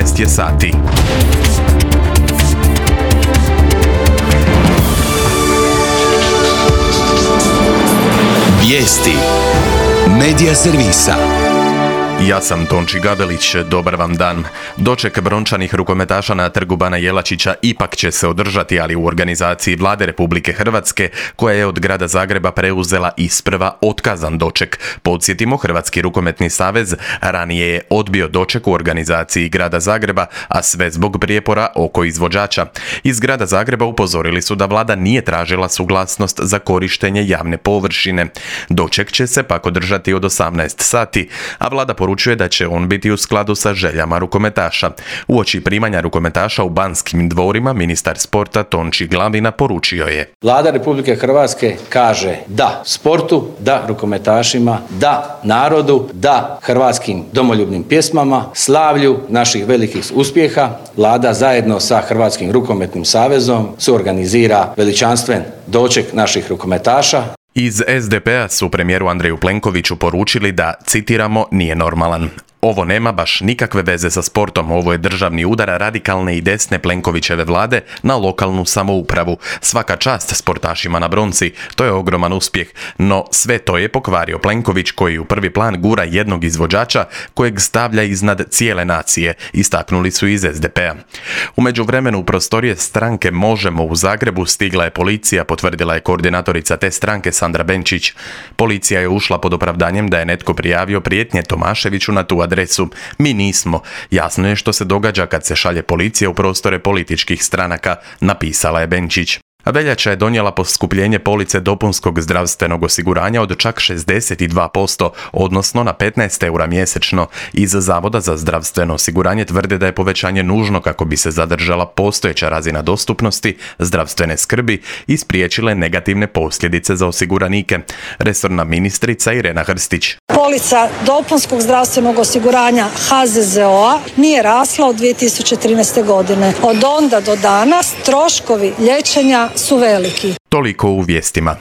18 je sati. Vijesti Medija servisa. Ja sam Tonči Gabelić, dobar vam dan. Doček brončanih rukometaša na Trgu Bana Jelačića ipak će se održati, ali u organizaciji Vlade Republike Hrvatske, koja je od grada Zagreba preuzela isprva otkazan doček. Podsjetimo, Hrvatski rukometni savez ranije je odbio doček u organizaciji grada Zagreba, a sve zbog prijepora oko izvođača. Iz grada Zagreba upozorili su da vlada nije tražila suglasnost za korištenje javne površine. Doček će se pak održati od 18 sati, a vlada poručuje da će on biti u skladu sa željama rukometaša. Uoči primanja rukometaša u Banskim dvorima, ministar sporta Tonči Glavina poručio je: Vlada Republike Hrvatske kaže da sportu, da rukometašima, da narodu, da hrvatskim domoljubnim pjesmama, slavlju naših velikih uspjeha. Vlada zajedno sa Hrvatskim rukometnim savezom suorganizira veličanstven doček naših rukometaša. Iz SDP-a su premijeru Andreju Plenkoviću poručili da, citiramo, nije normalan. Ovo nema baš nikakve veze sa sportom, ovo je državni udar radikalne i desne Plenkovićeve vlade na lokalnu samoupravu. Svaka čast sportašima na bronci, to je ogroman uspjeh, no sve to je pokvario Plenković koji u prvi plan gura jednog izvođača kojeg stavlja iznad cijele nacije, istaknuli su iz SDP-a. U međuvremenu u prostorije stranke Možemo u Zagrebu stigla je policija, potvrdila je koordinatorica te stranke Sandra Benčić. Policija je ušla pod opravdanjem da je netko prijavio prijetnje Tomaševiću na tu adresu. Mi nismo. Jasno je što se događa kad se šalje policija u prostore političkih stranaka, napisala je Benčić. Veljača je donijela poskupljenje police dopunskog zdravstvenog osiguranja od čak 62%, odnosno na 15 eura mjesečno. Iz Zavoda za zdravstveno osiguranje tvrde da je povećanje nužno kako bi se zadržala postojeća razina dostupnosti zdravstvene skrbi i spriječile negativne posljedice za osiguranike. Resorna ministrica Irena Hrstić. Polica dopunskog zdravstvenog osiguranja HZZO-a nije rasla od 2013. godine. Od onda do danas troškovi liječenja su veliki. Toliko u vijestima.